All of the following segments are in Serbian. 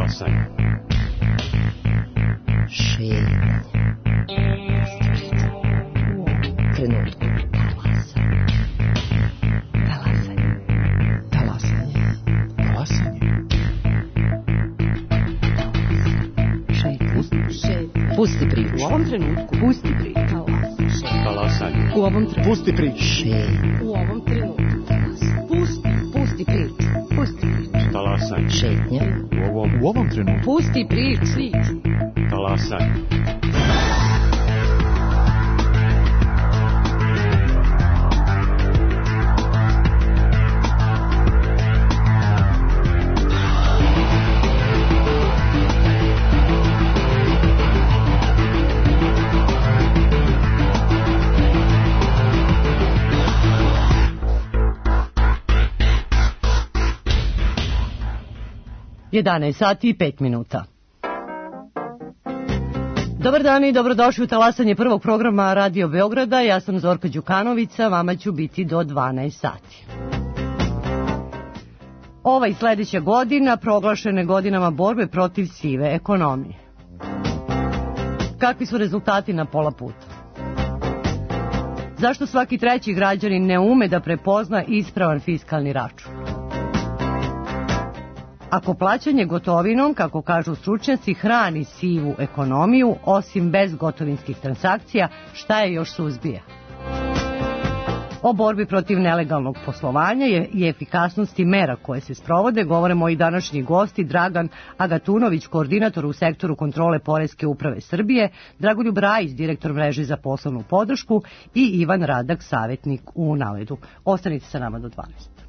Talasanje. Šetnje. Trenutku. Talasanje. Talasanje. Talasanje. Šetnje. Pusti priču. U ovom trenutku. Pusti priču. Talasanje. U ovom trenutku. Pusti priču. Šetnje. U ovom trenutku. Pusti priču. Pusti priču. Talasanje. Šetnje. U ovom trenutku. Pusti priču. Talasanje. Jedanaest sati i 5 minuta. Dobar dan i dobrodošli u talasanje prvog programa Radio Beograda. Ja sam Zorka Đukanovića, vama ću biti do 12 sati. Ova i sledeća godina proglašene godinama borbe protiv sive ekonomije. Kakvi su rezultati na pola puta? Zašto svaki treći građanin ne ume da prepozna ispravan fiskalni račun? Ako plaćanje gotovinom, kako kažu stručnjaci, hrani sivu ekonomiju, osim bezgotovinskih transakcija, šta je još suzbija? O borbi protiv nelegalnog poslovanja i efikasnosti mera koje se sprovode govore moji današnji gosti Dragan Agatunović, koordinator u sektoru kontrole Poreske uprave Srbije, Dragoljub Rajić, direktor mreže za poslovnu podršku i Ivan Radak, savjetnik u Naledu. Ostanite sa nama do 12.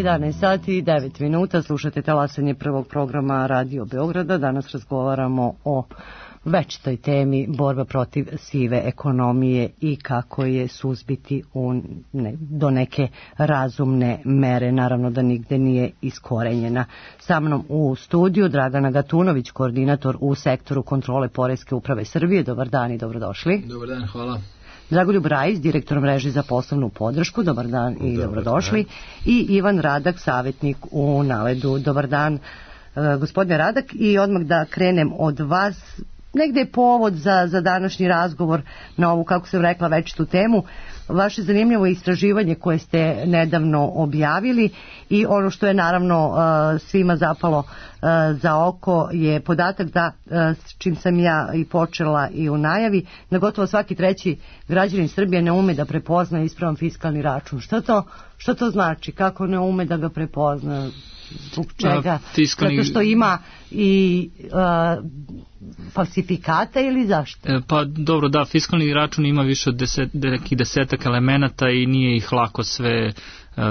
11 sati i 9 minuta, slušate talasanje prvog programa Radio Beograda. Danas razgovaramo o večitoj temi borba protiv sive ekonomije i kako je suzbiti do neke razumne mere, naravno da nigde nije iskorenjena. Sa mnom u studiju Dragana Gatunović, koordinator u sektoru kontrole Poreske uprave Srbije. Dobar dan i dobrodošli. Dobar dan, hvala. Dragoljub Rajić, direktor mreže za poslovnu podršku. Dobar dan i dobrodošli. I Ivan Radak, savjetnik u Naledu. Dobar dan, gospodine Radak. I odmah da krenem od vas. Negde je povod za današnji razgovor na ovu, kako sam rekla, večitu temu. Vaše zanimljivo istraživanje koje ste nedavno objavili i ono što je naravno svima zapalo za oko je podatak da, s čim sam ja i počela i u najavi, da gotovo svaki treći građanin Srbije ne ume da prepozna ispravan fiskalni račun. Što to znači? Kako ne ume da ga prepozna? Zbog čega? Zato što ima i falsifikata ili zašto? Pa dobro, da, fiskalni račun ima više od nekih desetak elemenata i nije ih lako sve,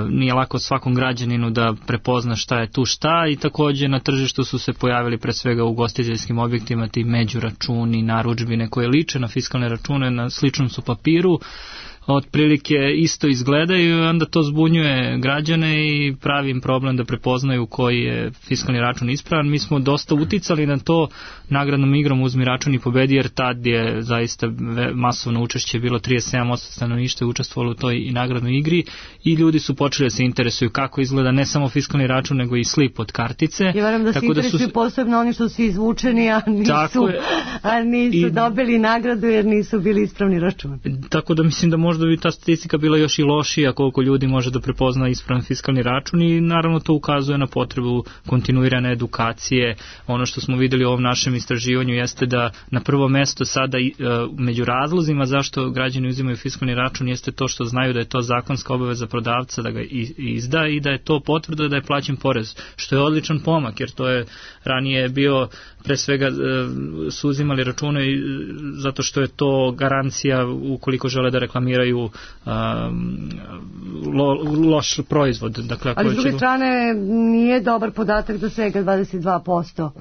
nije lako svakom građaninu da prepozna šta je tu šta, i također na tržištu su se pojavili pre svega u ugostiteljskim objektima ti međuračuni, narudžbine koje liče na fiskalne račune, na sličnom su papiru, otprilike isto izgledaju, i onda to zbunjuje građane i pravi im problem da prepoznaju koji je fiskalni račun ispravan. Mi smo dosta uticali na to nagradnom igrom Uzmi račun i pobedi, jer tad je zaista masovno učešće bilo, 37% stanovništva je učestvovalo u toj i nagradnoj igri, i ljudi su počeli da se interesuju kako izgleda ne samo fiskalni račun nego i slip od kartice. Ja verujem da se interesuju posebno oni što su izvučeni, a nisu dobili nagradu jer nisu bili ispravni račun. Tako da mislim da možda bi ta statistika bila još i lošija koliko ljudi može da prepozna ispravan fiskalni račun, i naravno to ukazuje na potrebu kontinuirane edukacije. Ono što smo videli u ovom našem istraživanju jeste da na prvo mesto sada među razlozima zašto građani uzimaju fiskalni račun jeste to što znaju da je to zakonska obaveza prodavca da ga izda i da je to potvrda da je plaćen porez, što je odličan pomak, jer to je ranije bio pre svega su uzimali račune zato što je to garancija ukoliko žele da reklamiraju loš proizvod. Dakle, ali s druge strane nije dobar podatak da svega 22%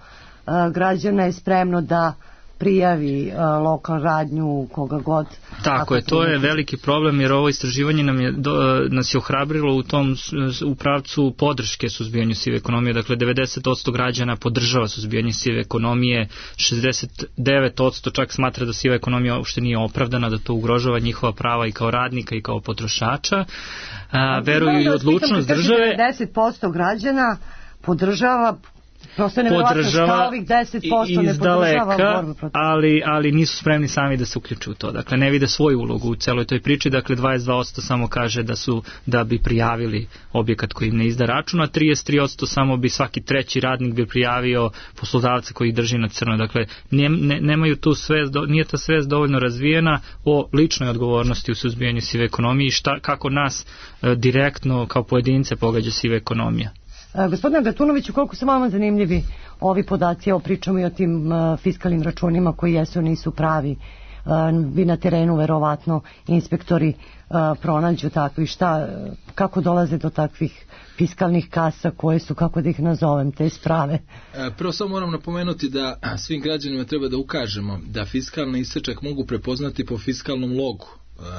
građana je spremno da prijavi lokalnu radnju koga god. Tako je, to je veliki problem, jer ovo istraživanje nas je ohrabrilo u pravcu podrške suzbijanju sive ekonomije. Dakle, 90% građana podržava suzbijanje sive ekonomije, 69% čak smatra da siva ekonomija uopšte nije opravdana, da to ugrožava njihova prava i kao radnika i kao potrošača. Veruju i odlučnost države. 10% građana podržava ovih 10% ne podržava borbu protiv. Ali nisu spremni sami da se uključu u to. Dakle, ne vide svoju ulogu u celoj toj priči. Dakle, 22% samo kaže da bi prijavili objekat koji im ne izda račun, a 33% samo bi svaki treći radnik bi prijavio poslodavca koji ih drži na crno. Dakle, nemaju tu svest, nije ta svest dovoljno razvijena o ličnoj odgovornosti u suzbijanju sive ekonomije i kako nas direktno kao pojedince pogađa siva ekonomija. Gospodine Gatunoviću, koliko su vama zanimljivi ovi podaci, evo pričamo i o tim fiskalnim računima koji jesu nisu pravi, vi na terenu verovatno inspektori pronađu takvi, kako dolaze do takvih fiskalnih kasa koje su, kako da ih nazovem, te sprave? Prvo samo moram napomenuti da svim građanima treba da ukažemo da fiskalni isečak mogu prepoznati po fiskalnom logu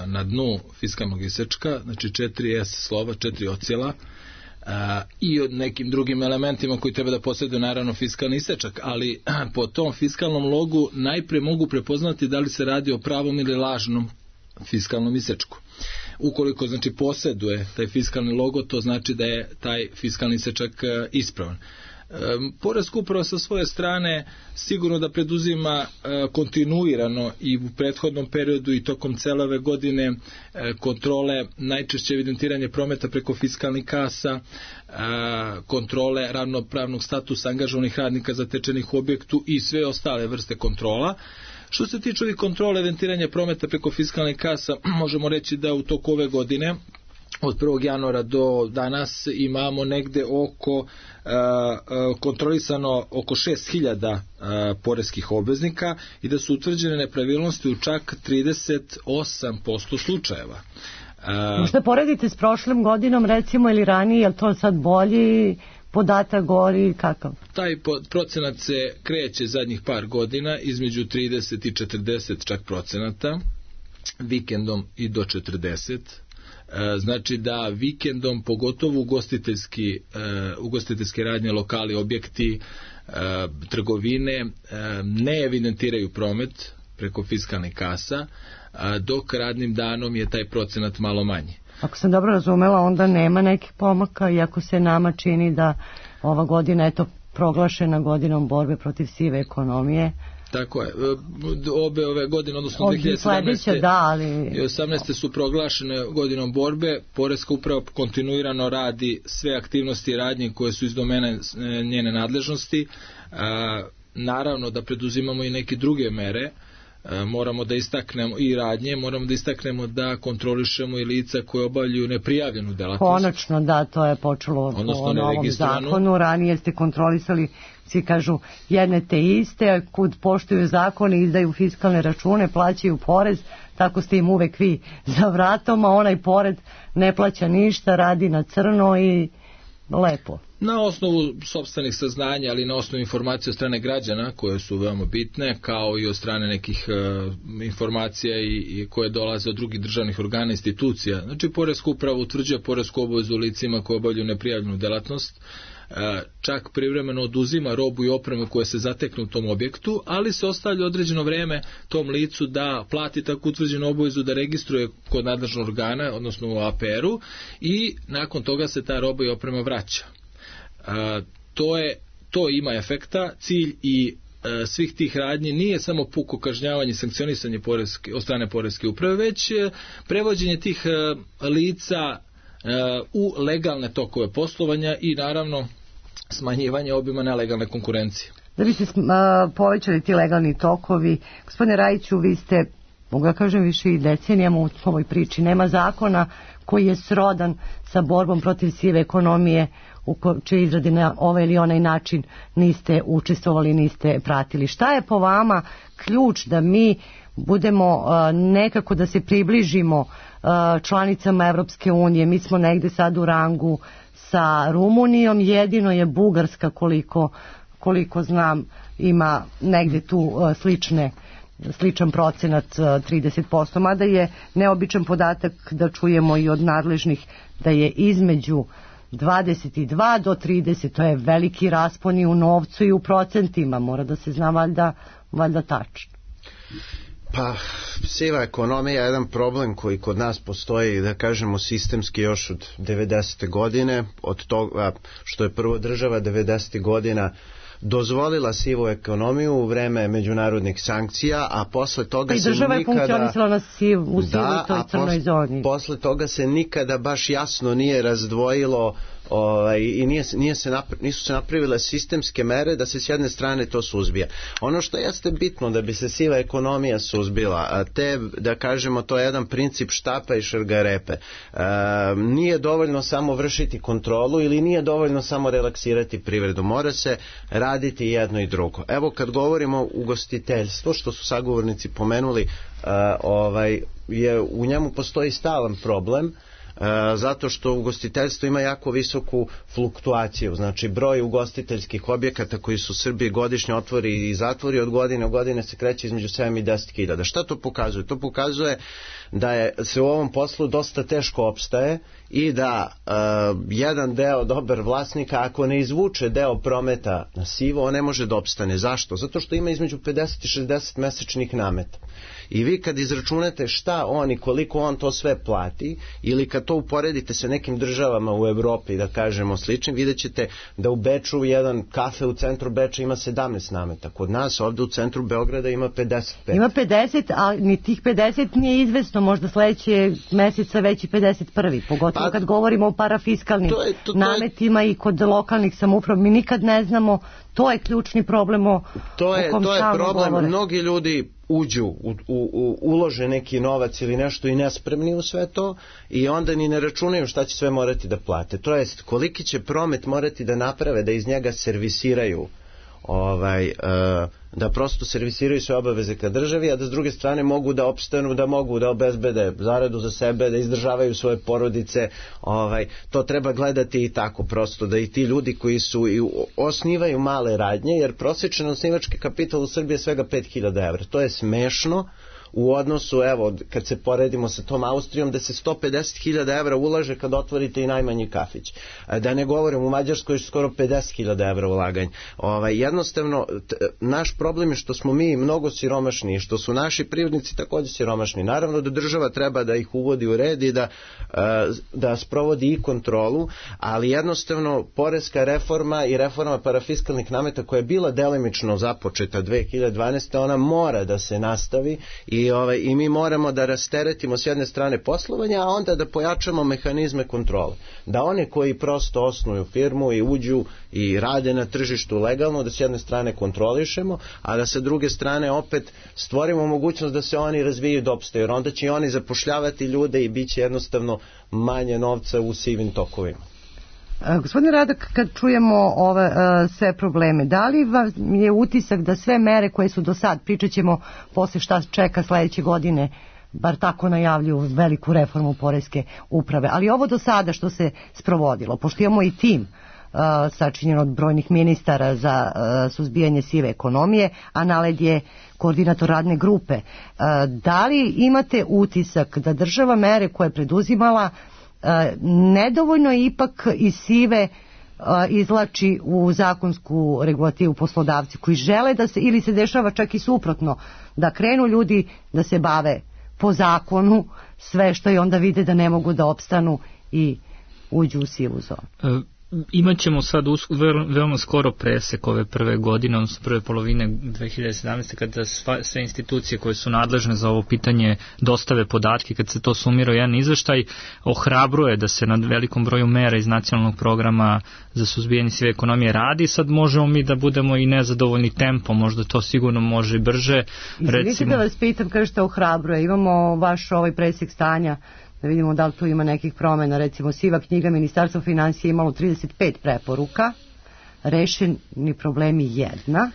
na dnu fiskalnog isečka, znači 4 S slova, 4 ocijela, i od nekim drugim elementima koji treba da posjeduju naravno fiskalni isečak, ali po tom fiskalnom logu najprije mogu prepoznati da li se radi o pravom ili lažnom fiskalnom isečku. Ukoliko znači posjeduje taj fiskalni logo, to znači da je taj fiskalni isečak ispravan. Poreska uprava sa svoje strane sigurno da preduzima kontinuirano i u prethodnom periodu i tokom cele ove godine kontrole, najčešće evidentiranje prometa preko fiskalnih kasa, kontrole ravnopravnog statusa angažovanih radnika zatečenih u objektu i sve ostale vrste kontrola. Što se tiče ovih kontrole evidentiranja prometa preko fiskalnih kasa, možemo reći da u toku ove godine od 1. januara do danas imamo negde kontrolisano oko 6.000 poreskih obveznika i da su utvrđene nepravilnosti u čak 38% slučajeva. Možda poredite s prošlim godinom recimo ili ranije, je li to sad bolji podatak, gori, kakav? Taj procenat se kreće zadnjih par godina između 30 i 40 čak procenata, vikendom i do 40. Znači da vikendom pogotovo ugostiteljske radnje, lokali, objekti, trgovine ne evidentiraju promet preko fiskalnih kasa, dok radnim danom je taj procenat malo manji. Ako sam dobro razumela, onda nema nekih pomaka, iako se nama čini da ova godina je to proglašena godinom borbe protiv sive ekonomije. Tako je. Ove godine, odnosno 2017. i 2018. su proglašene godinom borbe. Poreska uprava kontinuirano radi sve aktivnosti i radnje koje su iz domene njene nadležnosti. Naravno da preduzimamo i neke druge mere. Moramo da istaknemo i radnje, moramo da istaknemo da kontrolišemo i lica koje obavljaju neprijavljenu delatnost. Konačno, da, to je počelo po novom zakonu. Ranije ste kontrolisali, svi kažu, jedne te iste, kud poštuju zakone, izdaju fiskalne račune, plaćaju porez, tako ste im uvek vi za vratom, a onaj pored ne plaća ništa, radi na crno i lepo. Na osnovu sopstvenih saznanja, ali na osnovu informacija od strane građana koje su veoma bitne, kao i od strane nekih informacija i koje dolaze od drugih državnih organa i institucija. Znači, poreska uprava utvrđuje poresku obavezu licima koje obavljaju neprijavljenu delatnost, čak privremeno oduzima robu i opremu koje se zateknu u tom objektu, ali se ostavlja određeno vreme tom licu da plati tako utvrđenu obavezu da registruje kod nadležnog organa, odnosno u APR-u, i nakon toga se ta roba i oprema vraća. To ima efekta. Cilj i svih tih radnji nije samo puko kažnjavanje i sankcionisanje od strane poreske uprave, već prevođenje tih lica u legalne tokove poslovanja i naravno smanjivanje obima nelegalne konkurencije. Da bi se povećali ti legalni tokovi, gospodine Rajiću, vi ste, mogu da kažem, više i decenijama u ovoj priči. Nema zakona koji je srodan sa borbom protiv sive ekonomije, u čiji izradi na ovaj ili onaj način niste učestvovali, niste pratili. Šta je po vama ključ da mi budemo nekako da se približimo članicama Evropske unije? Mi smo negde sad u rangu sa Rumunijom, jedino je Bugarska, koliko znam, ima negde tu sličan procenat 30%, mada je neobičan podatak da čujemo i od nadležnih da je između 22 do 30, to je veliki raspon i u novcu i u procentima, mora da se zna valjda tačno. Pa, siva ekonomija je jedan problem koji kod nas postoji, da kažemo, sistemski još od 90. godine, od toga što je prvo država 90. godina dozvolila sivu ekonomiju u vreme međunarodnih sankcija, a posle toga se nikada... I država je funkcionisala u sivoj toj crnoj zoni. Posle toga se nikada baš jasno nije razdvojilo i nisu se napravile sistemske mere da se s jedne strane to suzbija. Ono što jeste bitno da bi se siva ekonomija suzbila, da kažemo, to je jedan princip štapa i šargarepe. Nije dovoljno samo vršiti kontrolu ili nije dovoljno samo relaksirati privredu. Mora se raditi jedno i drugo. Evo, kad govorimo o ugostiteljstvu, što su sagovornici pomenuli, u njemu postoji stalan problem, zato što ugostiteljstvo ima jako visoku fluktuaciju, znači broj ugostiteljskih objekata koji su u Srbiji godišnje otvori i zatvori od godine u godine se kreće između 7 i 10 hiljada. Šta to pokazuje? To pokazuje da se u ovom poslu dosta teško opstaje i da jedan deo dobar vlasnika, ako ne izvuče deo prometa na sivo, on ne može da opstane. Zašto? Zato što ima između 50 i 60 mesečnih nameta. I vi kad izračunate šta on i koliko on to sve plati, ili kad to uporedite sa nekim državama u Evropi, da kažemo sličnim, vidjet ćete da u Beču jedan kafe u centru Beča ima 17 nameta. Kod nas ovde u centru Beograda ima 55. Ima 50, a ni tih 50 nije izvesno, možda sledeće meseca već i 51. Pogotovo kad govorimo o parafiskalnim nametima i kod lokalnih samouprava. Mi nikad ne znamo, to je ključni problem o kom stalno govore. Problem, mnogi ljudi uđu, ulože neki novac ili nešto i nespremni u sve to i onda ni ne računaju šta će sve morati da plate. To jest, koliki će promet morati da naprave da iz njega servisiraju da prosto servisiraju sve obaveze ka državi, a da s druge strane mogu da opstanu, da mogu da obezbede zaradu za sebe, da izdržavaju svoje porodice. To treba gledati i tako prosto, da i ti ljudi koji su i osnivaju male radnje, jer prosječan osnivački kapital u Srbiji je svega 5.000 evra. To je smešno u odnosu, evo, kad se poredimo sa tom Austrijom, da se 150.000 evra ulaže kad otvorite i najmanji kafić. Da ne govorim, u Mađarskoj je skoro 50.000 evra ulaganja. Jednostavno, naš problem je što smo mi mnogo siromašni i što su naši privrednici također siromašni. Naravno da država treba da ih uvodi u red i da sprovodi i kontrolu, ali jednostavno poreska reforma i reforma parafiskalnih nameta koja je bila delimično započeta 2012. ona mora da se nastavi i mi moramo da rasteretimo s jedne strane poslovanja, a onda da pojačamo mehanizme kontrole. Da one koji prosto osnuju firmu i uđu i rade na tržištu legalno, da s jedne strane kontrolišemo, a da sa druge strane opet stvorimo mogućnost da se oni razviju do opstaju, jer onda će i oni zapošljavati ljude i bit će jednostavno manje novca u sivim tokovima. Gospodine Radak, kad čujemo ove sve probleme, da li vam je utisak da sve mere koje su do sad, pričat ćemo posle šta čeka sledeće godine, bar tako najavljuju veliku reformu poreske uprave, ali ovo do sada što se sprovodilo, pošto imamo i tim sačinjen od brojnih ministara za suzbijanje sive ekonomije, a NALED je koordinator radne grupe, da li imate utisak da država mere koje je preduzimala nedovoljno ipak iz sive izlači u zakonsku regulativu poslodavci koji žele da se, ili se dešava čak i suprotno, da krenu ljudi da se bave po zakonu sve što i onda vide da ne mogu da opstanu i uđu u sivu zonu? Imaćemo sad veoma skoro presek ove prve godine, odnosno prve polovine 2017. kada sve institucije koje su nadležne za ovo pitanje dostave podatke, kad se to sumira u jedan izveštaj, ohrabruje da se nad velikom broju mera iz nacionalnog programa za suzbijanje sive ekonomije radi. Sad možemo mi da budemo i nezadovoljni tempom, možda to sigurno može i brže. Izvinite da vas pitam, kažete ohrabruje, imamo vaš presek stanja, da vidimo da li tu ima nekih promjena. Recimo, siva knjiga Ministarstva financija imalo 35 preporuka, rešeni problemi 1,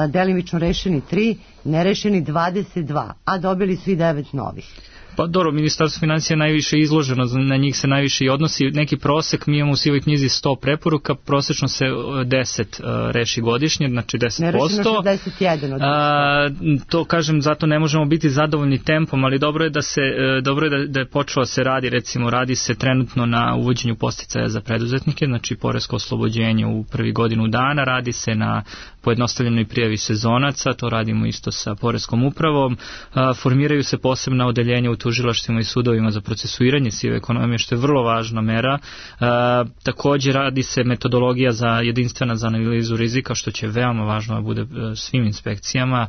delimično rešeni 3, nerešeni 22, a dobili su i 9 novih. Pa dobro, Ministarstvo financija je najviše izloženo, na njih se najviše i odnosi. Neki prosek, mi imamo u sivoj knjizi 100 preporuka, prosečno se 10 reši godišnje, znači 10%. Nerešeno 61 od 10%. To kažem, zato ne možemo biti zadovoljni tempom, ali dobro je da je počelo se radi, recimo radi se trenutno na uvođenju podsticaja za preduzetnike, znači poresko oslobođenje u prvi godinu dana, radi se na pojednostavljenoj prijavi sezonaca, to radimo isto sa poreskom upravom, formiraju se posebna odeljenja u tužilaštvima i sudovima za procesuiranje sive ekonomije, što je vrlo važna mera. Također radi se metodologija jedinstvena za analizu rizika, što će veoma važno da bude svim inspekcijama.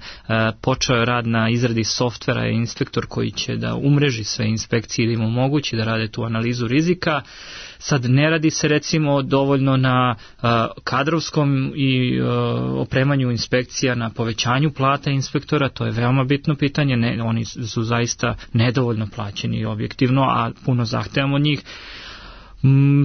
Počeo je rad na izradi softvera i inspektor koji će da umreži sve inspekcije i da im omogući da rade tu analizu rizika. Sad ne radi se recimo dovoljno na kadrovskom i opremanju inspekcija, na povećanju plata inspektora, to je veoma bitno pitanje, oni su zaista nedovoljno plaćeni objektivno, a puno zahtevamo od njih.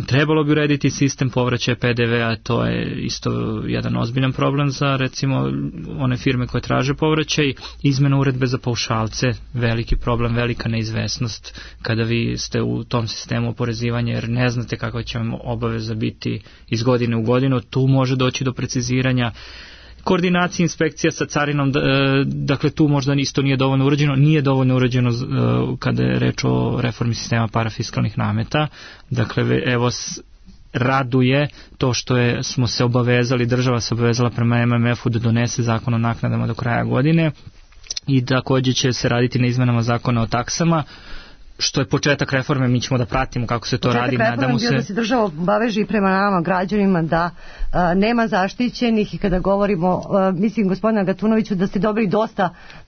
Trebalo bi urediti sistem povraćaja PDV-a, to je isto jedan ozbiljan problem za recimo one firme koje traže povraćaj. Izmena uredbe za paušalce, veliki problem, velika neizvesnost kada vi ste u tom sistemu oporezivanja jer ne znate kakva će vam obaveza biti iz godine u godinu, tu može doći do preciziranja. Koordinacija inspekcija sa carinom, dakle tu možda isto nije dovoljno urađeno, nije dovoljno urađeno kada je reč o reformi sistema parafiskalnih nameta, dakle evo raduje to što smo se obavezali, država se obavezala prema MMF-u da donese zakon o naknadama do kraja godine i također će se raditi na izmenama zakona o taksama, što je početak reforme, mi ćemo da pratimo kako se to radi. Nadamo se da se država obaveže prema nama građanima da nema zaštićenih i kada govorimo, mislim gospodina Gatunoviću da ste dobili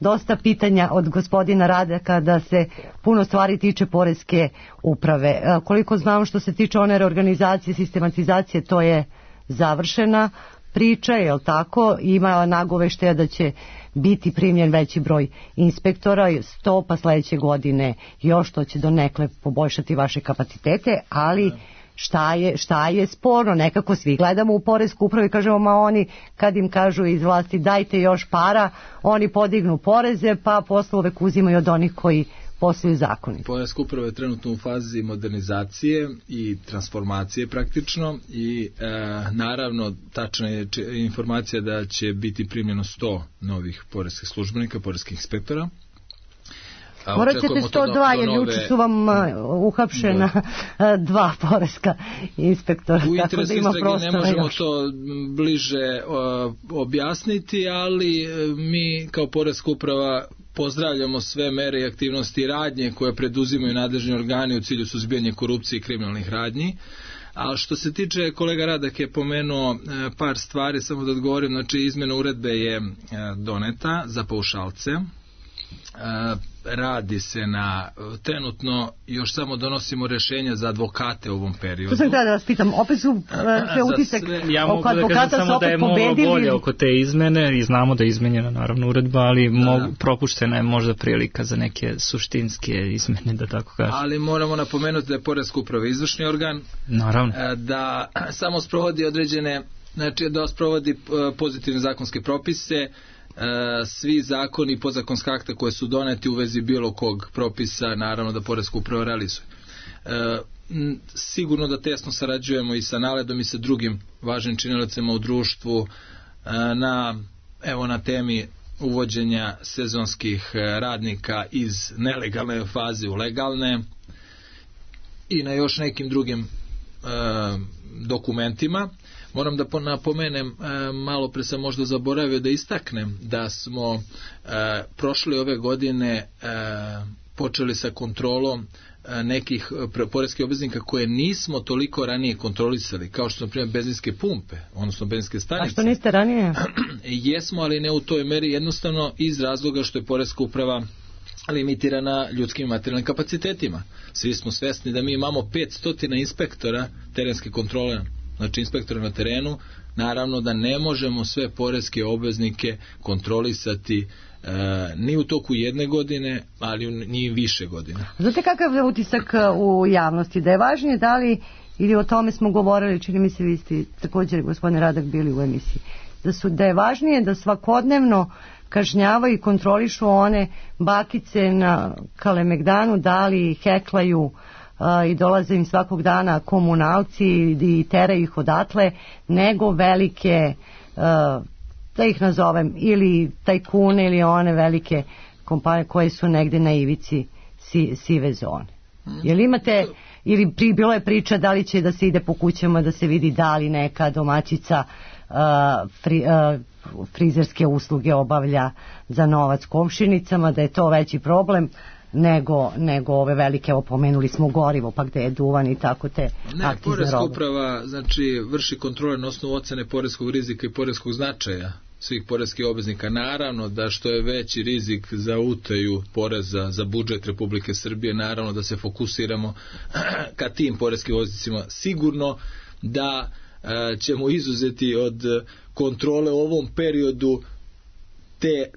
dosta pitanja od gospodina Radeka da se puno stvari tiče poreske uprave. Koliko znam što se tiče one reorganizacije, sistematizacije, to je završena priča, je li tako? Ima nagoveštaja da će biti primljen veći broj inspektora, 100 pa sledeće godine još, to će donekle poboljšati vaše kapacitete, ali šta je sporno. Nekako svi gledamo u poresku upravu i kažemo, ma oni kad im kažu iz vlasti dajte još para, oni podignu poreze pa posle uvek uzimaju od onih koji posluju zakoni. Poreska uprava je trenutno u fazi modernizacije i transformacije praktično i naravno tačna je informacija da će biti primljeno 100 novih poreskih službenika, poreskih inspektora. Morat ćete 102 jer juče su vam uhapšena 2 poreska inspektora. U interesu istrage ne možemo to bliže objasniti, ali mi kao poreska uprava pozdravljamo sve mere i aktivnosti i radnje koje preduzimaju nadležni organi u cilju suzbijanja korupcije i kriminalnih radnji. A što se tiče, kolega Radak je pomenuo par stvari, samo da odgovorim, znači izmena uredbe je doneta za paušalce. Radi se na trenutno još samo donosimo rješenja za advokate u ovom periodu. To sam htjela da vas pitam, opet su sve utisak oko advokata su opet pobedili. Ja mogu da kažem samo da je bolje oko te izmene i znamo da je izmenjena naravno uredba, ali propuštena je možda prilika za neke suštinske izmene, da tako kažem. Ali moramo napomenuti da je poreska uprava izvršni organ, naravno, da samo sprovodi određene, znači da sprovodi pozitivne zakonske propise, svi zakoni i podzakonska akta koje su doneti u vezi bilo kog propisa, naravno da poreska uprava realizuje. Sigurno da tesno sarađujemo i sa NALED-om i sa drugim važnim činiocima u društvu na temi uvođenja sezonskih radnika iz nelegalne faze u legalne i na još nekim drugim dokumentima. Moram da napomenem, malo pre sam možda zaboravio da istaknem da smo prošle ove godine počeli sa kontrolom nekih poreskih obveznika koje nismo toliko ranije kontrolisali, kao što su na primjer benzinske pumpe, odnosno benzinske stanice. A što niste ranije? Jesmo, ali ne u toj meri, jednostavno iz razloga što je poreska uprava limitirana ljudskim i materijalnim kapacitetima. Svi smo svesni da mi imamo 500 inspektora terenske kontrole, znači inspektora na terenu, naravno da ne možemo sve poreske obveznike kontrolisati ni u toku jedne godine, ali ni više godina. Znate kakav je utisak u javnosti? Da je važnije da li, ili o tome smo govorili, čini mi se vi ste također gospodine Radak bili u emisiji, da je važnije da svakodnevno kažnjavaju i kontrolišu one bakice na Kalemegdanu, da li heklaju i dolaze im svakog dana komunalci i teraju ih odatle, nego velike, da ih nazovem, ili tajkune ili one velike kompanije koje su negde na ivici sive zone. Jel imate, ili bilo je priča da li će da se ide po kućama da se vidi da li neka domaćica frizerske usluge obavlja za novac komšinicama, da je to veći problem nego ove velike, opomenuli smo gorivo, pa gde je duvan i tako te akti za robu. Poreska uprava znači vrši kontrole na osnovu ocene poreskog rizika i poreskog značaja svih poreskih obveznika. Naravno da što je veći rizik za utaju poreza za budžet Republike Srbije, naravno da se fokusiramo ka tim poreskim obveznicima. Sigurno da ćemo izuzeti od kontrole u ovom periodu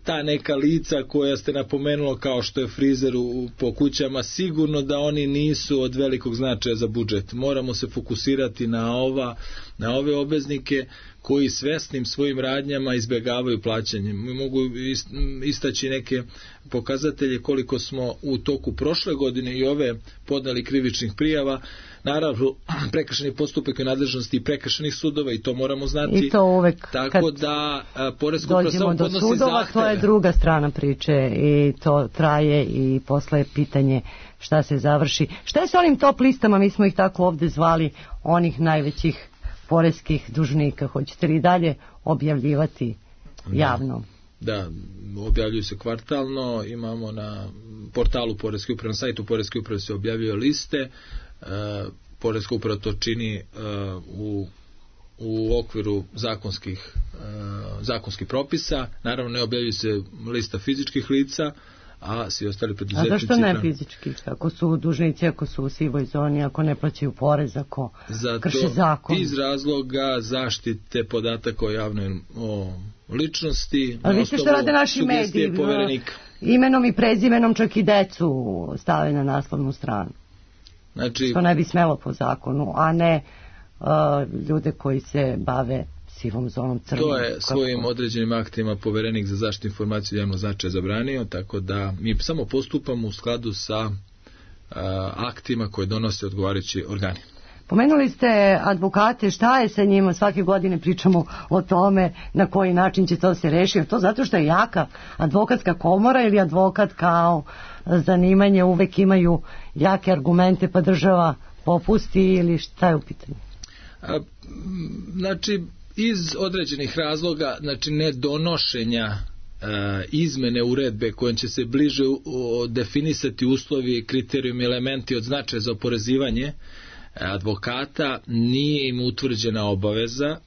ta neka lica koja ste napomenula kao što je frizer po kućama, sigurno da oni nisu od velikog značaja za budžet. Moramo se fokusirati na ove obveznike koji svesnim svojim radnjama izbjegavaju plaćanje. Mi mogu istaći neke pokazatelje koliko smo u toku prošle godine i ove podneli krivičnih prijava. Naravno, prekršajni postupak je nadležnosti i prekršajnih sudova i to moramo znati. I to uvek tako da poreska uprava samo podnosi sudova, zahteve. To je druga strana priče i to traje i posle je pitanje šta se završi. Šta je sa onim top listama, mi smo ih tako ovde zvali, onih najvećih poreskih dužnika? Hoćete li dalje objavljivati javno? Da, objavljuju se kvartalno, imamo na portalu Poreske uprave, na sajtu Poreske uprave se objavljuje liste. Poreska uprava to čini u okviru zakonskih propisa. Naravno ne objavljuje se lista fizičkih lica, a svi ostali preduzetnici. A zašto ne fizički? Ako su dužnici, ako su u sivoj zoni, ako ne plaćaju porez, ako krše zakon? Iz razloga zaštite podataka o javnoj ličnosti. Ali vidite što rade naši mediji, imenom i prezimenom čak i decu stave na naslovnu stranu. Znači, što ne bi smelo po zakonu, a ne ljude koji se bave sivom zonom, crnom. To je svojim određenim aktima Poverenik za zaštitu informacija javnog značaja zabranio, tako da mi samo postupamo u skladu sa aktima koje donose odgovarajući organi. Pomenuli ste advokate, šta je sa njima? Svake godine pričamo o tome na koji način će to se rešiti. To zato što je jaka advokatska komora ili advokat kao zanimanje uvek imaju jake argumente pa država popusti ili šta je u pitanju? Znači, iz određenih razloga, znači nedonošenja izmene uredbe kojom će se bliže definisati uslovi, kriterijumi, elementi od značaja za oporezivanje advokata, nije im utvrđena obaveza.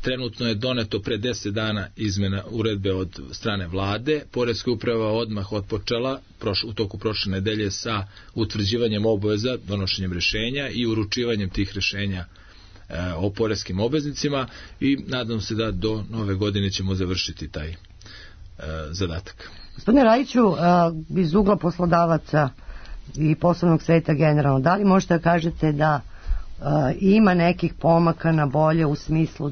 Trenutno je doneto pre 10 dana izmena uredbe od strane vlade. Poreska uprava odmah otpočela u toku prošle nedelje sa utvrđivanjem obaveza, donošenjem rešenja i uručivanjem tih rešenja o poreskim obveznicima i nadam se da do nove godine ćemo završiti taj zadatak. Gospodine Rajiću, iz ugla poslodavaca i poslovnog sveta generalno, da li možete da kažete da ima nekih pomaka na bolje u smislu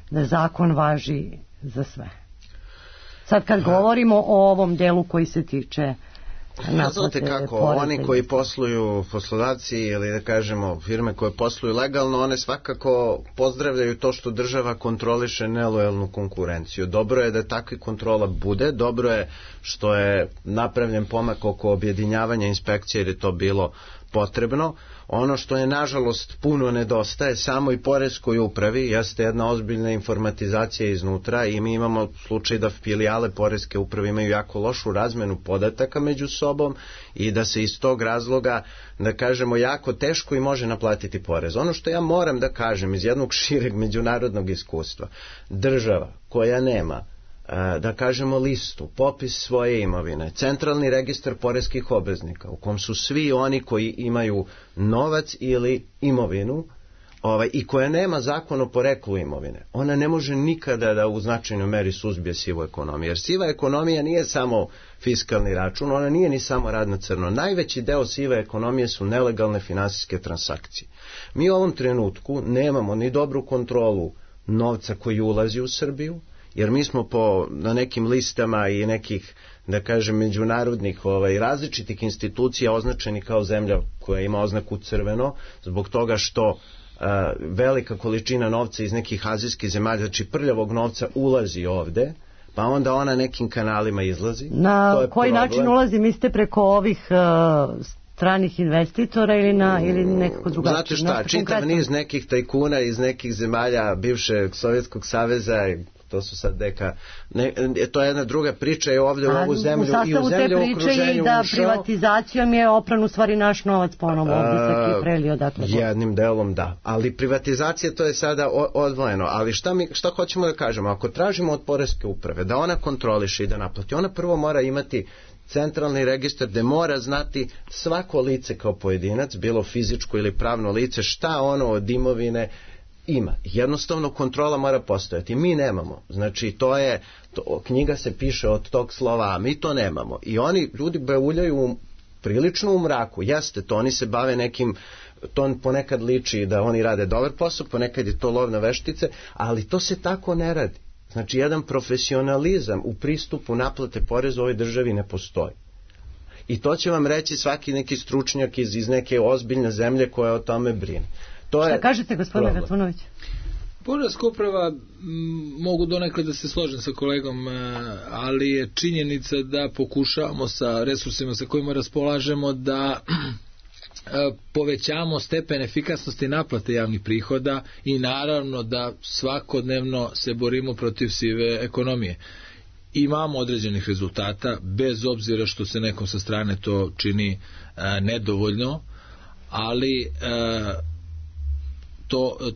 da zakon važi za sve? Sad kad govorimo o ovom delu koji se tiče znate kako, oni koji posluju, poslodavci ili da kažemo firme koje posluju legalno, one svakako pozdravljaju to što država kontroliše nelojalnu konkurenciju. Dobro je da takva kontrola bude, dobro je što je napravljen pomak oko objedinjavanja inspekcije jer je to bilo potrebno. Ono što je nažalost puno nedostaje samoj poreskoj upravi jeste jedna ozbiljna informatizacija iznutra i mi imamo slučaj da filijale poreske uprave imaju jako lošu razmenu podataka među sobom i da se iz tog razloga, da kažemo, jako teško i može naplatiti porez. Ono što ja moram da kažem iz jednog šireg međunarodnog iskustva, država koja nema da kažemo listu, popis svoje imovine, centralni registar poreskih obveznika u kom su svi oni koji imaju novac ili imovinu i koja nema zakon o poreklu imovine, ona ne može nikada da u značajnoj meri suzbije sivu ekonomiju. Jer siva ekonomija nije samo fiskalni račun, ona nije ni samo rad na crno. Najveći deo sive ekonomije su nelegalne finansijske transakcije. Mi u ovom trenutku nemamo ni dobru kontrolu novca koji ulazi u Srbiju, jer mi smo na nekim listama i nekih, da kažem, međunarodnih različitih institucija označeni kao zemlja koja ima oznaku crveno, zbog toga što velika količina novca iz nekih azijskih zemalja, znači prljavog novca, ulazi ovde, pa onda ona nekim kanalima izlazi. Na koji način ulazi, mislite, preko ovih stranih investitora ili nekako drugačije? Znate šta, čitav niz nekih tajkuna iz nekih zemalja bivšeg Sovjetskog saveza, to su sad to je jedna druga priča, je ovdje u ovu zemlju i u zemlju u okruženju ušao. U sastavu te priče je da privatizacijom je opran u stvari naš novac ponovo ovdje sa Kiprelio. Jednim delom da, ali privatizacija to je sada odvojeno, ali šta hoćemo da kažemo, ako tražimo od poreske uprave da ona kontroliše i da naplati, ona prvo mora imati centralni registar gde mora znati svako lice kao pojedinac, bilo fizičko ili pravno lice, šta ono od imovine ima. Jednostavno kontrola mora postojati. Mi nemamo. Znači knjiga se piše od tog slova, a mi to nemamo. I oni ljudi beuljaju prilično u mraku. Jeste to, oni se bave nekim, to ponekad liči da oni rade dobar posao, ponekad je to lov na veštice, ali to se tako ne radi. Znači jedan profesionalizam u pristupu naplate poreza u ovoj državi ne postoji. I to će vam reći svaki neki stručnjak iz neke ozbiljne zemlje koja o tome brine. Šta kažete, gospodine Gatunović? Poreska uprava, mogu donekle da se složim sa kolegom, ali je činjenica da pokušavamo sa resursima sa kojima raspolažemo da povećamo stepen efikasnosti naplate javnih prihoda i naravno da svakodnevno se borimo protiv sive ekonomije. Imamo određenih rezultata, bez obzira što se nekom sa strane to čini nedovoljno, ali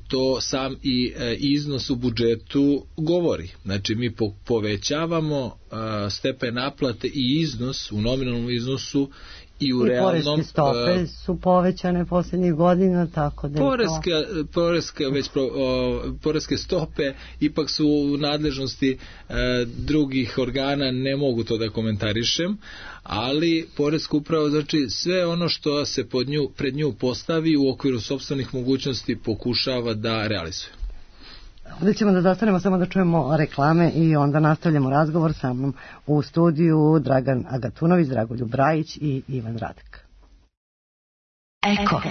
to sam i iznos u budžetu govori. Znači mi povećavamo stepen naplate i iznos u nominalnom iznosu i u realnom... poreske stope su povećane posljednjih godina, tako da poreske stope ipak su u nadležnosti drugih organa, ne mogu to da komentarišem, ali poreska uprava, znači sve ono što se pred nju postavi u okviru sopstvenih mogućnosti pokušava da realizuje. Ovdje ćemo da zastanemo samo da čujemo reklame i onda nastavljamo razgovor sa mnom u studiju Dragan Agatunović, Dragoljub Brajić i Ivan Radak. Eko.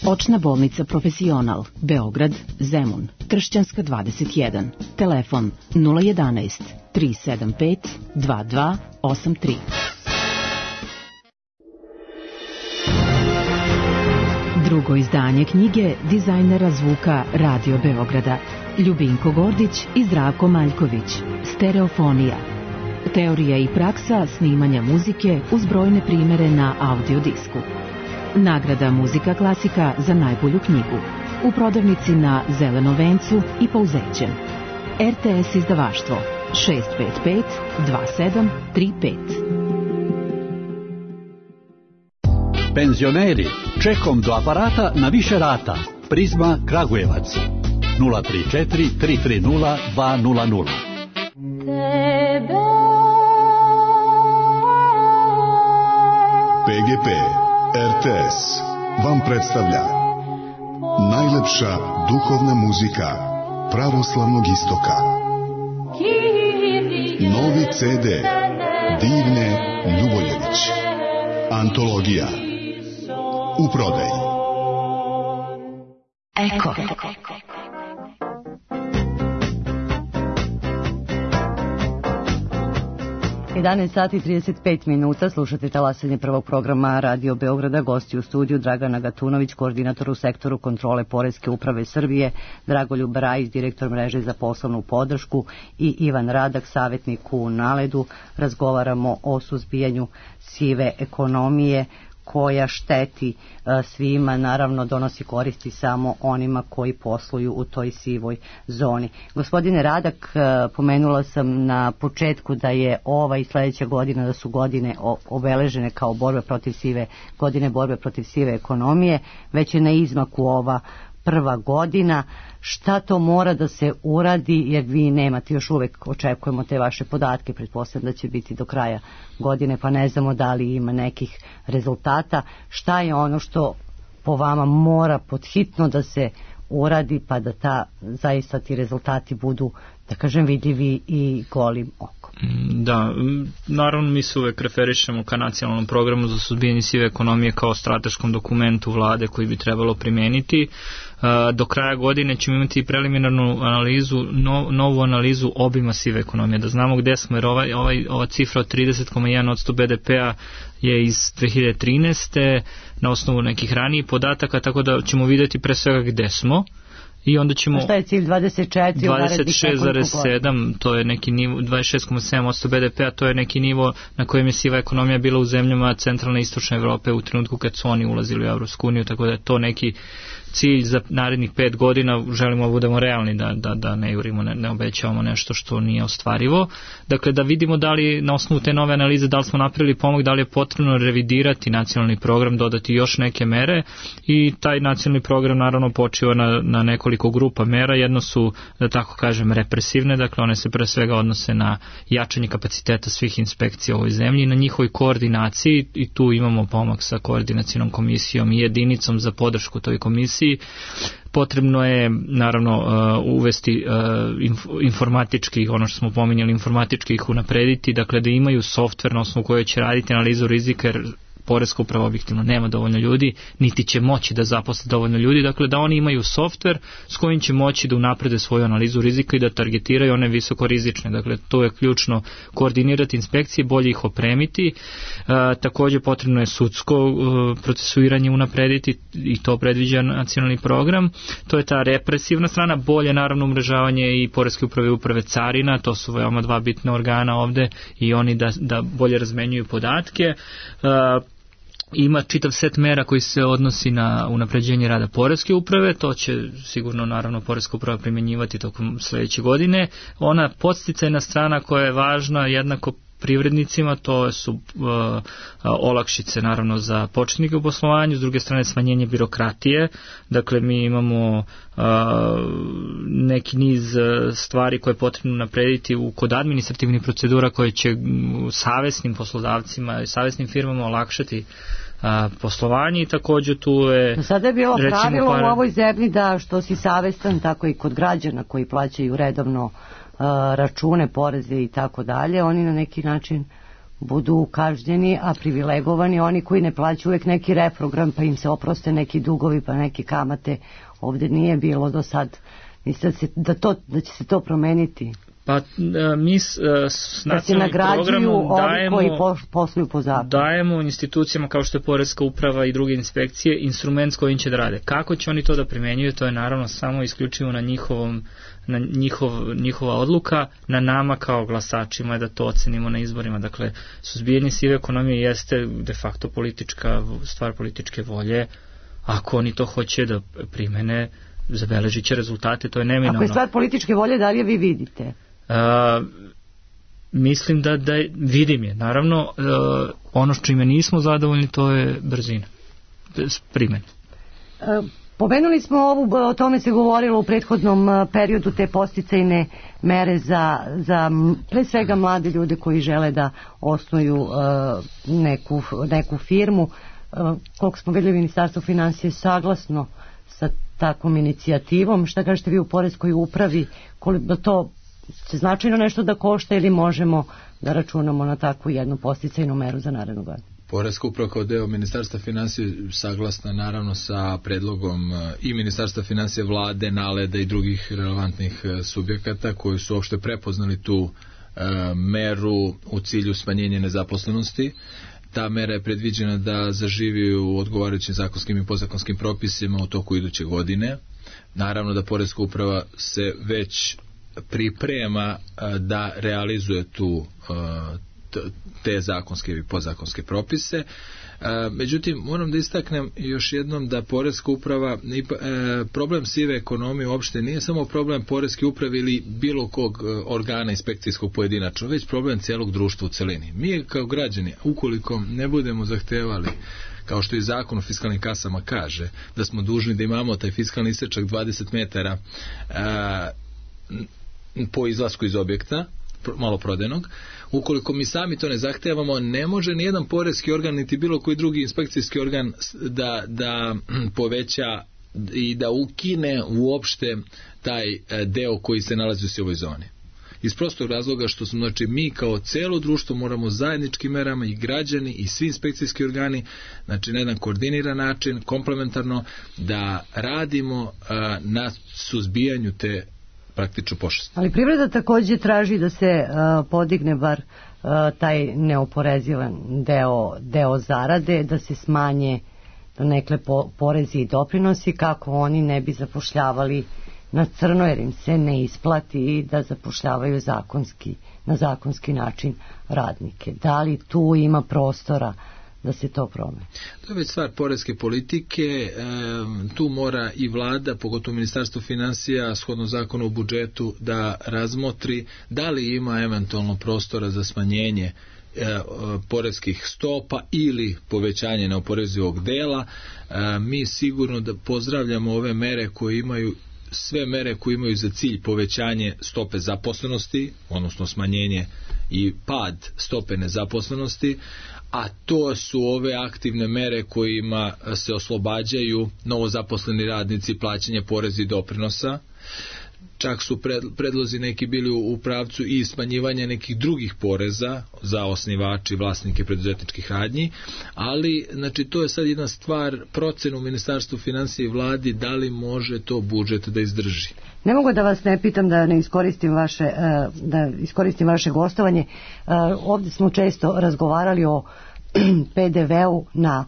Očna bolnica Profesional, Beograd, Zemun, Kršćanska 21, telefon 011 375 2283. Drugo izdanje knjige dizajnera zvuka Radio Beograda Ljubinko Gordić i Zdravko Maljković. Stereofonija. Teorija i praksa snimanja muzike uz brojne primere na audio disku. Nagrada Muzika klasika za najbolju knjigu. U prodavnici na Zelenom vencu i Pauzećem. RTS izdavaštvo 655 2735. Penzioneri, čekom do aparata na više rata. Prizma Kragujevac 034 330 200. PGP RTS vam predstavlja najlepša duhovna muzika pravoslavnog istoka. Novi CD Divne Ljuboljević. Antologija u prodaji. Eko. Sati 35 minuta, slušate talasanje prvog programa Radio Beograda, gosti u studiju Dragan Agatunović, koordinator u sektoru kontrole Poreske uprave Srbije, Dragoljub Brajić, direktor mreže za poslovnu podršku i Ivan Radak, savjetnik u Naledu. Razgovaramo o suzbijanju sive ekonomije koja šteti svima, naravno donosi koristi samo onima koji posluju u toj sivoj zoni. Gospodine Radak, pomenula sam na početku da je ova i sledeća godina, da su godine obeležene kao godine borbe protiv sive ekonomije, već je na izmaku ova prva godina. Šta to mora da se uradi, jer vi nemate još uvek, očekujemo te vaše podatke, pretpostavljam da će biti do kraja godine, pa ne znamo da li ima nekih rezultata. Šta je ono što po vama mora podhitno da se uradi, pa da zaista ti rezultati budu, da kažem, vidljivi i golim okom? Da, naravno mi se uvek referišemo ka nacionalnom programu za suzbijanje sive ekonomije kao strateškom dokumentu vlade koji bi trebalo primeniti. Do kraja godine ćemo imati preliminarnu analizu, novu analizu obima sive ekonomije, da znamo gde smo, jer ova cifra od 30,1% BDP-a je iz 2013. na osnovu nekih ranijih podataka, tako da ćemo vidjeti pre svega gde smo. I onda ćemo... A šta je cilj 26,7, to je neki nivo, 26,7% BDP-a, to je neki nivo na kojem je siva ekonomija bila u zemljama centralne i istočne Evrope u trenutku kad su oni ulazili u Evropsku uniju, tako da je to neki cilj za narednih 5 godina. Želimo da budemo realni, da ne jurimo, ne obećavamo nešto što nije ostvarivo. Dakle, da vidimo da li na osnovu te nove analize, da li smo napravili pomak, da li je potrebno revidirati nacionalni program, dodati još neke mere, i taj nacionalni program naravno počiva na nekoliko grupa mera. Jedno su, da tako kažem, represivne, dakle one se pre svega odnose na jačanje kapaciteta svih inspekcija u ovoj zemlji, na njihovoj koordinaciji, i tu imamo pomak sa koordinacijnom komisijom i jedinicom za podršku toj komisiji. Potrebno je naravno uvesti informatički, ono što smo pominjali, informatički ih unaprediti, dakle da imaju softver na osnovu koje će raditi analizu rizika, jer Poreska uprava objektivno nema dovoljno ljudi, niti će moći da zaposle dovoljno ljudi, dakle da oni imaju softver s kojim će moći da unaprede svoju analizu rizika i da targetiraju one visoko rizične. Dakle, to je ključno, koordinirati inspekcije, bolje ih opremiti. Također potrebno je sudsko procesuiranje unaprediti, i to predviđa nacionalni program. To je ta represivna strana, bolje naravno umrežavanje i Poreske uprave i uprave carina, to su veoma dva bitna organa ovde, i oni da bolje razmenjuju podatke. Ima čitav set mera koji se odnosi na unapređenje rada Poreske uprave, to će sigurno naravno Poreska uprava primjenjivati tokom sledeće godine. Ona podsticajna strana koja je važna jednako privrednicima, to su olakšice naravno za početnike u poslovanju, s druge strane smanjenje birokratije, dakle mi imamo neki niz stvari koje je potrebno naprediti kod administrativnih procedura koje će savesnim poslodavcima i savesnim firmama olakšati poslovanje i takođe tu je... Sada je bilo pravilo u ovoj zemlji da što si savestan, tako i kod građana koji plaćaju redovno račune, poreze i tako dalje, oni na neki način budu kažnjeni, a privilegovani oni koji ne plaćaju uvek neki reprogram, pa im se oproste neki dugovi, pa neke kamate. Ovde nije bilo do sad. Mislim da će se to promeniti. Pa mi s nacionalnim programom dajemo institucijama kao što je Poreska uprava i druge inspekcije instrument s kojim će da rade. Kako će oni to da primenjuju, to je naravno samo isključivo na njihova odluka, na nama kao glasačima je da to ocenimo na izborima. Dakle, suzbijanje sive ekonomije jeste de facto stvar političke volje. Ako oni to hoće da primene, zabeležit će rezultate, to je neminovno. Ako je stvar političke volje, da li je vi vidite? Mislim da vidim je. Naravno, ono što čime nismo zadovoljni, to je brzina primene. Pomenuli smo o tome se govorilo u prethodnom periodu, te podsticajne mere za pre svega mlade ljude koji žele da osnuju neku firmu. Koliko smo vidjeli, Ministarstvo finansije saglasno sa takvom inicijativom. Šta kažete vi u Poreskoj upravi? Da to će značajno nešto da košta ili možemo da računamo na takvu jednu podsticajnu meru za narednu godinu? Poreska uprava kao deo Ministarstva finansija saglasna naravno sa predlogom i Ministarstva finansija, vlade, NALED-a i drugih relevantnih subjekata koji su uopšte prepoznali tu meru u cilju smanjenja nezaposlenosti. Ta mera je predviđena da zaživi u odgovarajućim zakonskim i podzakonskim propisima u toku iduće godine. Naravno da Poreska uprava se već priprema da realizuje te zakonske i podzakonske propise. Međutim, moram da istaknem još jednom da Poreska uprava, problem sive ekonomije uopšte nije samo problem Poreske uprave ili bilo kog organa inspekcijskog pojedinačno, već problem cijelog društva u celini. Mi kao građani, ukoliko ne budemo zahtevali, kao što i zakon o fiskalnim kasama kaže, da smo dužni da imamo taj fiskalni isečak 20 metara po izlasku iz objekta maloprodajnog, ukoliko mi sami to ne zahtevamo, ne može nijedan poreski organ niti bilo koji drugi inspekcijski organ da poveća i da ukine uopšte taj deo koji se nalazi u sivoj zoni. Iz prostog razloga što smo, znači, mi kao celo društvo moramo zajedničkim merama i građani i svi inspekcijski organi, znači na jedan koordiniran način, komplementarno, da radimo na suzbijanju te praktično pošasti. Ali privreda takođe traži da se podigne bar taj neoporezivan deo zarade, da se smanje donekle porezi i doprinosi kako oni ne bi zapošljavali na crno, jer im se ne isplati da zapošljavaju na zakonski način radnike. Da li tu ima prostora da se to promeni? To je već stvar poreske politike, tu mora i vlada, pogotovo Ministarstvo finansija, shodno zakonu o budžetu, da razmotri da li ima eventualno prostora za smanjenje poreskih stopa ili povećanje neoporezivog dela. Mi sigurno da pozdravljamo ove mere koje imaju sve mere koje imaju za cilj povećanje stope zaposlenosti, odnosno smanjenje i pad stope nezaposlenosti, a to su ove aktivne mere kojima se oslobađaju novozaposleni radnici plaćanja poreza i doprinosa. Čak su predlozi neki bili u pravcu i smanjivanja nekih drugih poreza za osnivači, vlasnike preduzetničkih radnji, ali znači to je sad jedna stvar procenu Ministarstvu finansija i vladi da li može to budžet da izdrži. Ne mogu da vas ne pitam da ne iskoristim vaše gostovanje. Ovdje smo često razgovarali o PDV-u na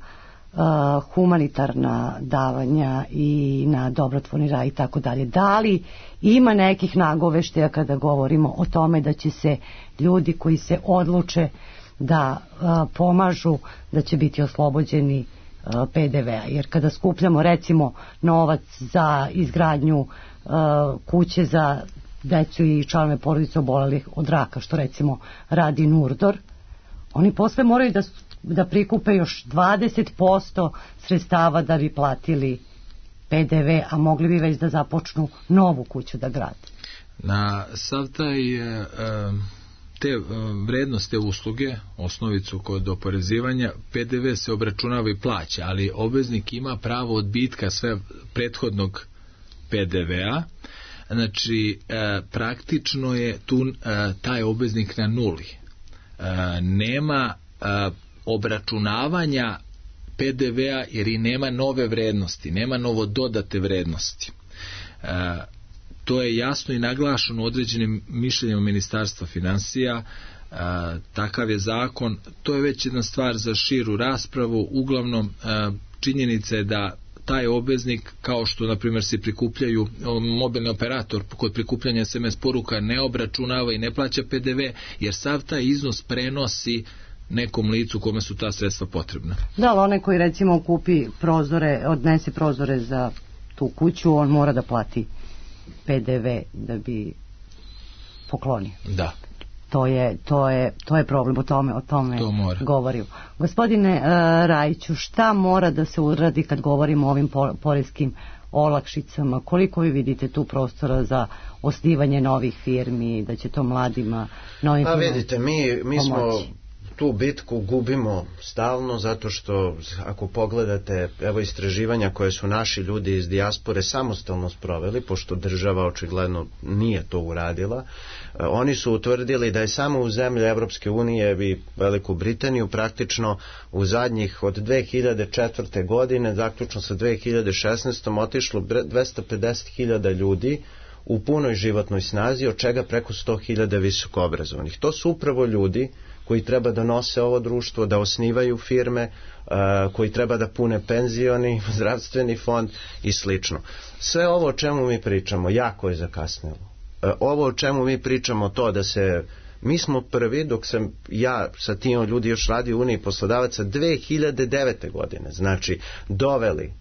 humanitarna davanja i na dobrotvorni rad i tako dalje. Da li ima nekih nagoveštaja kada govorimo o tome da će se ljudi koji se odluče da pomažu, da će biti oslobođeni PDV-a? Jer kada skupljamo recimo novac za izgradnju kuće za decu i članove porodice obolelih od raka, što recimo radi Nurdor, oni posle moraju da prikupe još 20% sredstava da bi platili PDV, a mogli bi već da započnu novu kuću da grade. Na sav taj te vrednosti usluge, osnovicu kod oporezivanja, PDV se obračunava i plaća, ali obveznik ima pravo odbitka sve prethodnog PDV-a. Znači, praktično je tu taj obveznik na nuli. Nema obračunavanja PDV-a jer i nema nove vrednosti, nema novo dodate vrednosti. To je jasno i naglašeno u određenim mišljenjima Ministarstva finansija. Takav je zakon. To je već jedna stvar za širu raspravu. Uglavnom, činjenica je da taj obveznik, kao što na primjer se prikupljaju, mobilni operator kod prikupljanja SMS poruka ne obračunava i ne plaća PDV, jer sav taj iznos prenosi nekom licu kome su ta sredstva potrebna. Da, ali onaj koji recimo kupi prozore, odnese prozore za tu kuću, on mora da plati PDV da bi poklonio. Da. To je problem, o tome govorim. Gospodine Rajiću, šta mora da se uradi kad govorimo o ovim poreskim olakšicama? Koliko vi vidite tu prostora za osnivanje novih firmi, da će to mladima novim firmama? Vidite, mi smo tu bitku gubimo stalno, zato što ako pogledate, evo istraživanja koje su naši ljudi iz dijaspore samostalno sproveli, pošto država očigledno nije to uradila, oni su utvrdili da je samo u zemlji Evropske unije i Veliku Britaniju praktično u zadnjih od 2004. godine, zaključno sa 2016. otišlo 250.000 ljudi u punoj životnoj snazi, od čega preko 100.000 visokoobrazovanih. To su upravo ljudi koji treba da nose ovo društvo, da osnivaju firme, koji treba da pune penzioni, zdravstveni fond i slično. Sve ovo o čemu mi pričamo jako je zakasnilo. Ovo o čemu mi pričamo, to da se, mi smo prvi, dok sam ja sa tim ljudi još radio u Uniji poslodavaca 2009. godine, znači doveli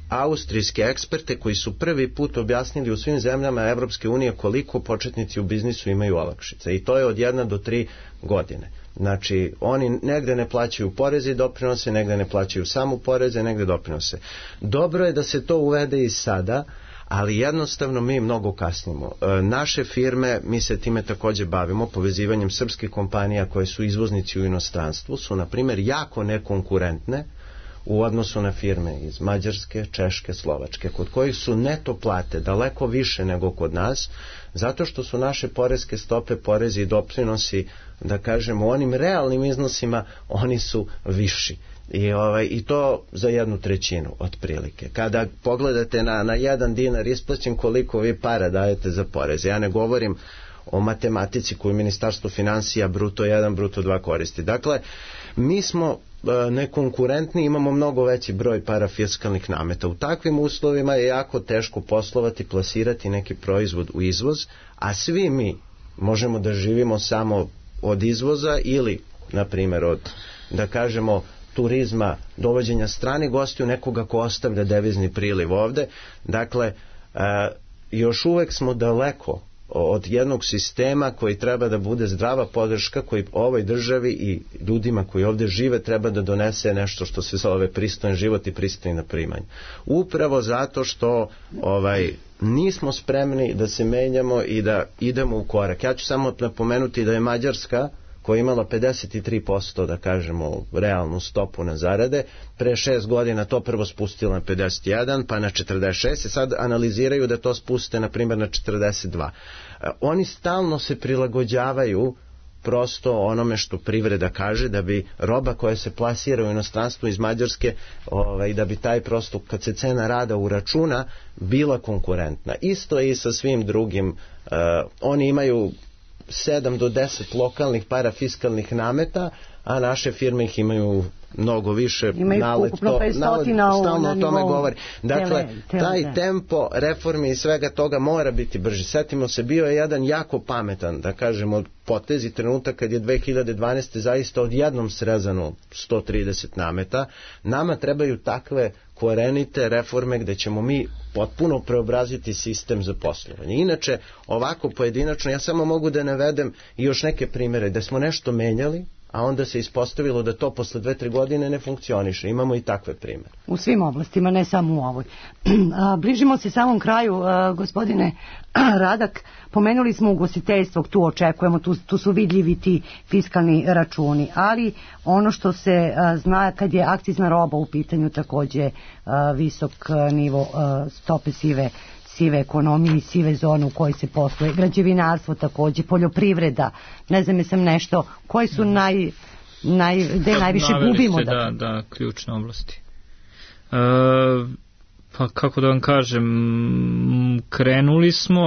austrijske eksperte koji su prvi put objasnili u svim zemljama Evropske unije koliko početnici u biznisu imaju olakšice, i to je od 1 do 3 godine. Znači, oni negde ne plaćaju poreze i doprinose, negde ne plaćaju samo poreze, negde doprinose. Dobro je da se to uvede i sada, ali jednostavno mi mnogo kasnimo. Naše firme, mi se time takođe bavimo, povezivanjem srpskih kompanija koje su izvoznici u inostranstvu, su na primjer jako nekonkurentne u odnosu na firme iz Mađarske, Češke, Slovačke, kod kojih su neto plate daleko više nego kod nas, zato što su naše poreske stope, porezi i doprinosi, da kažemo, u onim realnim iznosima, oni su viši. I to za 1/3 otprilike. Kada pogledate na 1 dinar isplaćen, koliko vi para dajete za poreze. Ja ne govorim o matematici koju Ministarstvo finansija bruto 1, bruto 2 koristi. Dakle, mi smo nekonkurentni, imamo mnogo veći broj parafiskalnih nameta. U takvim uslovima je jako teško poslovati, plasirati neki proizvod u izvoz, a svi mi možemo da živimo samo od izvoza ili, na primjer, od, da kažemo, turizma, dovođenja stranih gostiju, nekoga ko ostavlja devizni priliv ovde. Dakle, još uvek smo daleko od jednog sistema koji treba da bude zdrava podrška, koji ovoj državi i ljudima koji ovde žive treba da donese nešto što se zove pristojan život i pristojna primanja. Upravo zato što nismo spremni da se menjamo i da idemo u korak. Ja ću samo napomenuti da je Mađarska, koja je imala 53%, da kažemo, realnu stopu na zarade, pre 6 godina to prvo spustila na 51, pa na 46, i sad analiziraju da to spuste, na primjer, na 42. Oni stalno se prilagođavaju prosto onome što privreda kaže, da bi roba koja se plasira u inostranstvu iz Mađarske, da bi taj prosto, kad se cena rada uračuna, bila konkurentna. Isto je i sa svim drugim. Oni imaju 7 do 10 lokalnih parafiskalnih nameta, a naše firme ih imaju mnogo više. Ima ukupno 500 stalno o tome govori. Dakle, taj tempo reformi i svega toga mora biti brži. Setimo se, bio je jedan jako pametan, da kažemo, potez i trenutak kad je 2012. zaista odjednom srezano 130 nameta. Nama trebaju takve korenite reforme gde ćemo mi potpuno preobraziti sistem za poslovanje. Inače, ovako pojedinačno, ja samo mogu da navedem i još neke primere gde smo nešto menjali, a onda se ispostavilo da to posle 2-3 godine ne funkcioniše. Imamo i takve primere. U svim oblastima, ne samo u ovoj. Bližimo se samom kraju, gospodine Radak. Pomenuli smo ugostiteljstvo, tu očekujemo, tu su vidljivi ti fiskalni računi, ali ono što se zna kad je akcizna roba u pitanju, takođe visok nivo stope sive ekonomije i sive zone u kojoj se posluje, građevinarstvo takođe, poljoprivreda, ne znam jesam nešto, koji su gde najviše gubimo? Da, ključne oblasti. Pa kako da vam kažem, krenuli smo,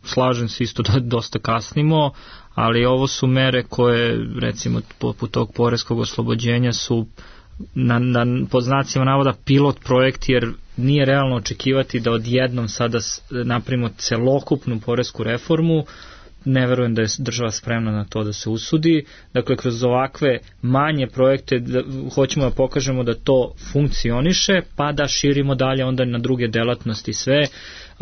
slažem se isto da dosta kasnimo, ali ovo su mere koje, recimo, poput tog poreskog oslobođenja su pod znacima navoda pilot projekt, jer nije realno očekivati da odjednom sada napravimo celokupnu poresku reformu. Ne verujem da je država spremna na to da se usudi. Dakle, kroz ovakve manje projekte hoćemo da pokažemo da to funkcioniše, pa da širimo dalje onda na druge delatnosti sve.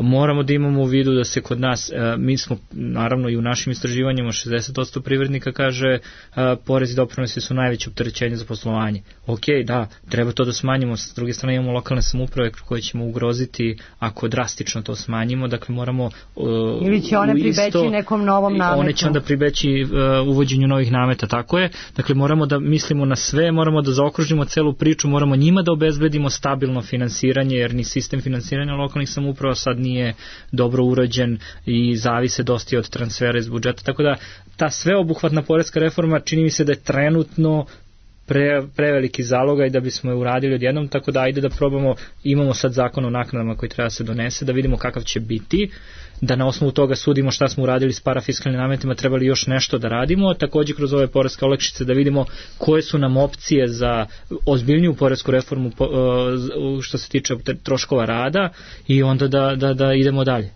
Moramo da imamo u vidu da se kod nas, mi smo naravno i u našim istraživanjima 60% privrednika kaže porezi i doprinosi su najveće opterećenje za poslovanje. Ok, da, treba to da smanjimo, s druge strane imamo lokalne samouprave koje ćemo ugroziti ako drastično to smanjimo, dakle moramo ili će one pribeći nekom novom nametu. One će onda pribeći uvođenju novih nameta, tako je. Dakle, moramo da mislimo na sve, moramo da zaokružimo celu priču, moramo njima da obezbedimo stabilno finansiranje, jer ni sistem finansiranja lokalnih samouprava sad nije dobro urađen i zavise dosta od transfera iz budžeta, tako da ta sveobuhvatna poreska reforma čini mi se da je trenutno preveliki zalogaj i da bismo je uradili odjednom, tako da ajde da probamo, imamo sad zakon o naknadama koji treba se donese, da vidimo kakav će biti, da na osnovu toga sudimo šta smo uradili s parafiskalnim nametima, trebali još nešto da radimo, takođe kroz ove poreske olakšice da vidimo koje su nam opcije za ozbiljniju poresku reformu što se tiče troškova rada i onda da idemo dalje.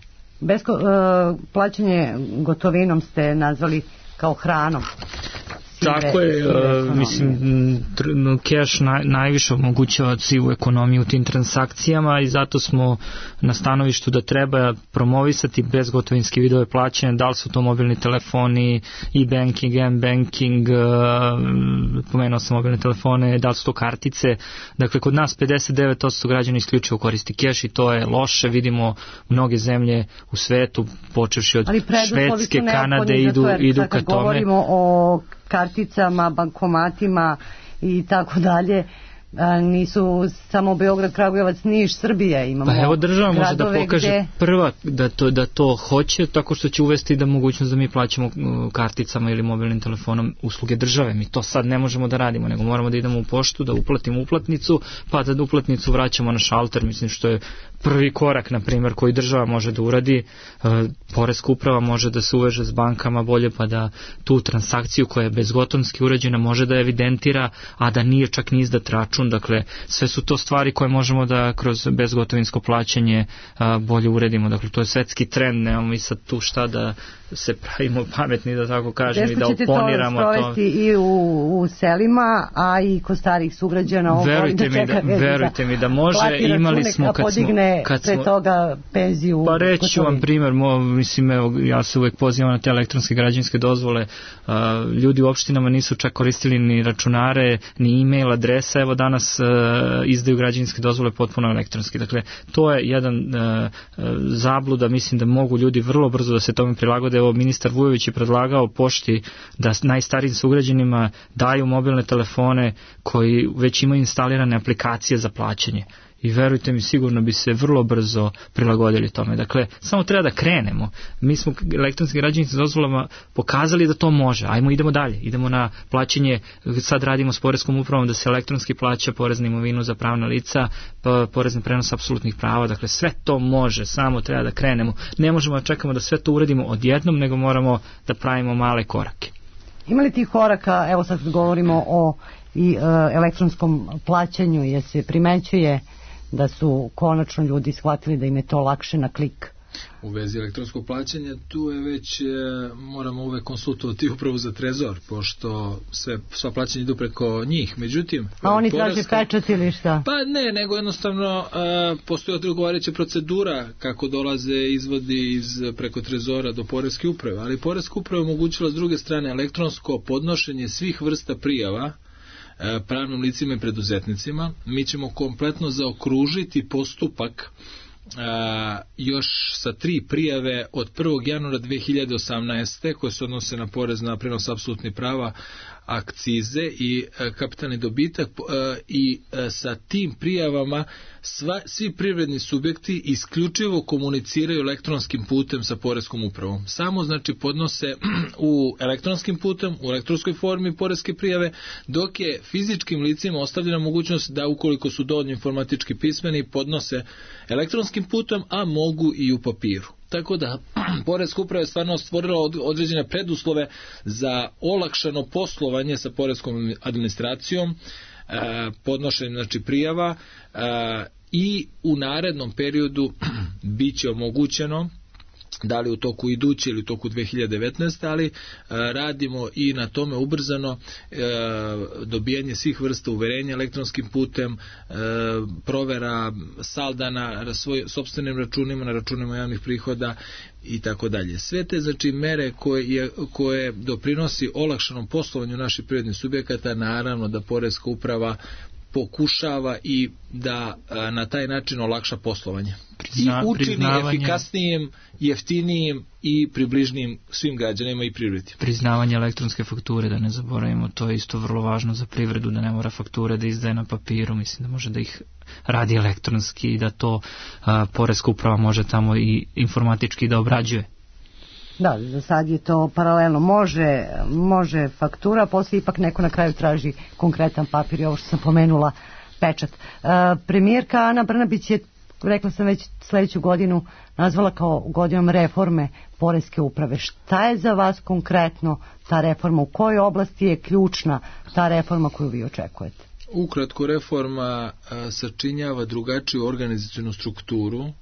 Plaćanje gotovinom ste nazvali kao hranom. Tako je, mislim, cash najviše omogućava sivu ekonomiju u tim transakcijama i zato smo na stanovištu da treba promovisati bezgotovinske vidove plaćanja, da li su to mobilni telefoni, e-banking, m-banking, pomenuo sam mobilne telefone, da li su to kartice. Dakle, kod nas 59% građana isključivo koristi cash i to je loše, vidimo mnoge zemlje u svetu, počevši od Švedske, Kanade, idu ka tome. Govorimo o karticama, bankomatima i tako dalje, nisu samo Beograd, Kragujevac, Niš, Srbija, imamo. Pa evo država može da pokaže prva da to hoće, tako što će uvesti da mogućnost da mi plaćamo karticama ili mobilnim telefonom usluge države. Mi to sad ne možemo da radimo, nego moramo da idemo u poštu, da uplatimo uplatnicu, pa da uplatnicu vraćamo na šalter, mislim što je prvi korak, na primjer, koji država može da uradi. Poreska uprava može da se uveže s bankama bolje, pa da tu transakciju koja je bezgotonski urađena može da evidentira, a da nije čak ni izdat račun. Dakle, sve su to stvari koje možemo da kroz bezgotovinsko plaćanje bolje uredimo. Dakle, to je svetski trend, nemamo mi sad tu šta da se pravimo pametni, da tako kažem, i da oponiramo to. Teško ćete to sprovesti i u selima, a i kod starih sugrađana. Verujte mi da može. Imali smo kad smo toga penziju. Pa reći vam primjer, mislim, evo, ja se uvek pozivam na te elektronske građevinske dozvole. Ljudi u opštinama nisu čak koristili ni računare, ni e-mail adresa, evo danas izdaju građevinske dozvole potpuno elektronski. Dakle, to je jedan zabluda, mislim da mogu ljudi vrlo brzo da se tome prilagode. Evo, ministar Vujović je predlagao pošti da najstarijim sugrađanima daju mobilne telefone koji već imaju instalirane aplikacije za plaćanje. I verujte mi, sigurno bi se vrlo brzo prilagodili tome. Dakle, samo treba da krenemo. Mi smo elektronskim građevinskim dozvolama pokazali da to može. Idemo dalje. Idemo na plaćanje, sad radimo s poreskom upravom da se elektronski plaća porez na imovinu za pravna lica, porez na prenos apsolutnih prava. Dakle, sve to može, samo treba da krenemo. Ne možemo da čekamo da sve to uradimo odjednom, nego moramo da pravimo male korake. Ima li tih koraka, evo sad govorimo o i elektronskom plaćanju, jer se primećuje da su konačno ljudi shvatili da im je to lakše na klik. U vezi elektronskog plaćanja tu je već moramo uvek konsultovati upravo za Trezor, pošto sva plaćanja idu preko njih. Međutim, a oni traže pečat ili šta? Pa ne, nego jednostavno postoji odgovarajuća procedura kako dolaze izvodi preko Trezora do Poreske uprave, ali Poreska uprava omogućila s druge strane elektronsko podnošenje svih vrsta prijava pravnim licima i preduzetnicima. Mi ćemo kompletno zaokružiti postupak još sa 3 prijave od 1. januara 2018. koje se odnose na porez na prenos apsolutnih prava, akcize i kapitalni dobitak, i sa tim prijavama svi privredni subjekti isključivo komuniciraju elektronskim putem sa Poreskom upravom. Samo znači podnose u elektronskim putem, u elektronskoj formi poreske prijave, dok je fizičkim licima ostavljena mogućnost da ukoliko su dovoljno informatički pismeni podnose elektronskim putem, a mogu i u papiru. Tako da Poreska uprava je stvarno stvorila određene preduslove za olakšano poslovanje sa poreskom administracijom, podnošenjem znači prijava, i u narednom periodu bit će omogućeno, da li u toku iduće ili u toku 2019. ali radimo i na tome ubrzano, dobijanje svih vrsta uverenja elektronskim putem, provera salda na sopstvenim računima, na računima javnih prihoda i tako dalje. Sve te znači mere koje doprinosi olakšanom poslovanju naših privrednih subjekata, naravno da Poreska uprava pokušava i da na taj način olakša poslovanje. I učini efikasnijim, jeftinijim i približnijim svim građanima i privredi. Priznavanje elektronske fakture, da ne zaboravimo, to je isto vrlo važno za privredu, da ne mora fakture da izdaje na papiru, mislim da može da ih radi elektronski i da to Poreska uprava može tamo i informatički da obrađuje. Da, za sad je to paralelno. Može faktura, poslije ipak neko na kraju traži konkretan papir i ovo što sam pomenula, pečat. Premijerka Ana Brnabić je, rekla sam već, sledeću godinu nazvala kao godinom reforme Poreske uprave. Šta je za vas konkretno ta reforma? U kojoj oblasti je ključna ta reforma koju vi očekujete? Ukratko, reforma sačinjava drugačiju organizacionu strukturu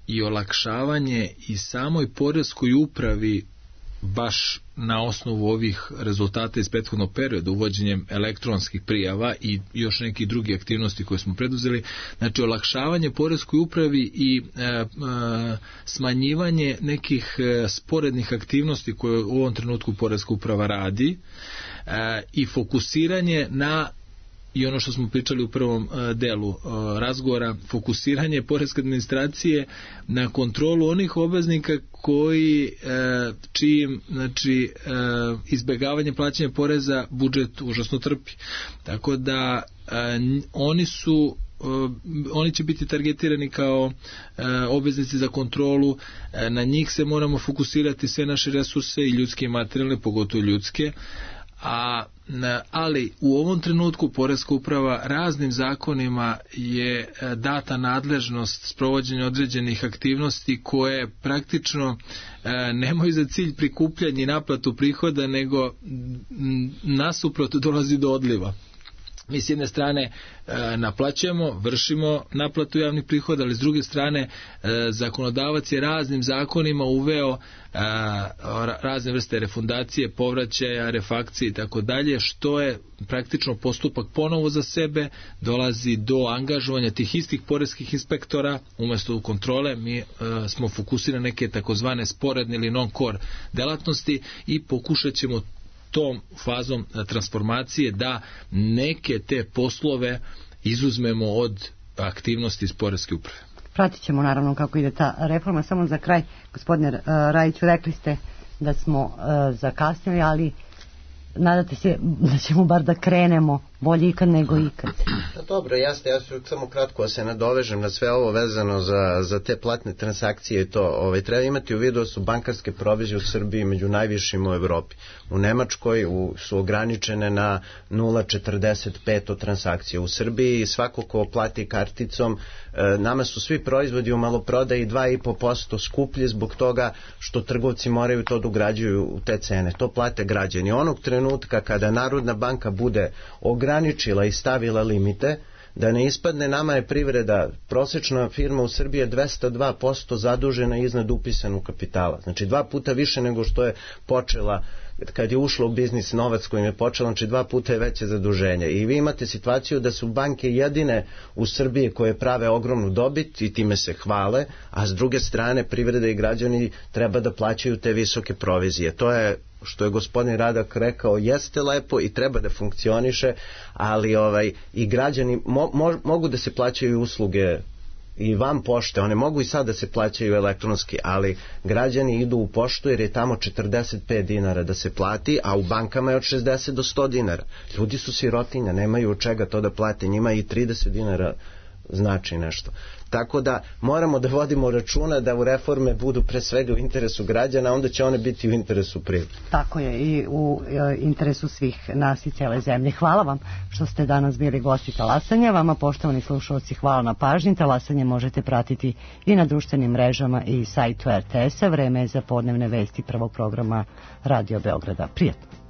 i olakšavanje i samoj Poreskoj upravi baš na osnovu ovih rezultata iz prethodnog perioda, uvođenjem elektronskih prijava i još nekih drugih aktivnosti koje smo preduzeli. Znači, olakšavanje Poreskoj upravi i smanjivanje nekih sporednih aktivnosti koje u ovom trenutku Poreska uprava radi, i fokusiranje na, i ono što smo pričali u prvom delu razgovora, fokusiranje poreske administracije na kontrolu onih obveznika čijim znači izbjegavanje plaćanja poreza budžet užasno trpi. Tako da oni će biti targetirani kao obveznici za kontrolu, na njih se moramo fokusirati sve naše resurse, i ljudske i materijalne, pogotovo ljudske. Ali u ovom trenutku Poreska uprava raznim zakonima je data nadležnost sprovođenja određenih aktivnosti koje praktično nemaju za cilj prikupljanje i naplatu prihoda, nego nasuprot dolazi do odliva. Mi s jedne strane naplaćujemo, vršimo naplatu javnih prihoda, ali s druge strane zakonodavac je raznim zakonima uveo razne vrste refundacije, povraćaja, refakcije i tako dalje, što je praktično postupak ponovo za sebe, dolazi do angažovanja tih istih poreskih inspektora umjesto kontrole. Mi smo fokusirani neke takozvane sporedne ili non-core delatnosti i pokušat ćemo tom fazom transformacije da neke te poslove izuzmemo od aktivnosti iz Poreske uprave. Pratit ćemo naravno kako ide ta reforma. Samo za kraj, gospodine Rajiću, rekli ste da smo zakasnili, ali nadate se da ćemo bar da krenemo bolje ikad nego ikad. Dobro, jasno, ja ću samo kratko se nadovežem na sve ovo vezano za te platne transakcije i to. Treba imati u vidu da su bankarske provizije u Srbiji među najvišim u Evropi. U Nemačkoj su ograničene na 0,45 transakcije. U Srbiji svako ko plati karticom, nama su svi proizvodi u maloprodaji 2,5% skuplji zbog toga što trgovci moraju to da ugrađuju u te cene. To plate građani. Onog trenutka kada Narodna banka bude ograničila i stavila limite, da ne ispadne, nama je privreda, prosječna firma u Srbiji je 202% zadužena iznad upisanog kapitala. Znači 2 puta više nego što je počela kad je ušla u biznis, novac kojim je počela, znači 2 puta je veće zaduženje. I vi imate situaciju da su banke jedine u Srbiji koje prave ogromnu dobit i time se hvale, a s druge strane privreda i građani treba da plaćaju te visoke provizije. To je, što je gospodin Radak rekao, jeste lepo i treba da funkcioniše, ali i građani mogu da se plaćaju usluge i van pošte, one mogu i sad da se plaćaju elektronski, ali građani idu u poštu jer je tamo 45 dinara da se plati, a u bankama je od 60 do 100 dinara. Ljudi su sirotinja, nemaju od čega to da plate, njima i 30 dinara znači nešto. Tako da moramo da vodimo računa da u reforme budu pre svega u interesu građana, onda će one biti u interesu privrede. Tako je, i u interesu svih nas i cele zemlje. Hvala vam što ste danas bili gosti Talasanja. Vama, poštovani slušalci, hvala na pažnji. Talasanje možete pratiti i na društvenim mrežama i sajtu RTS-a. Vreme je za podnevne vesti prvog programa Radio Beograda. Prijatno.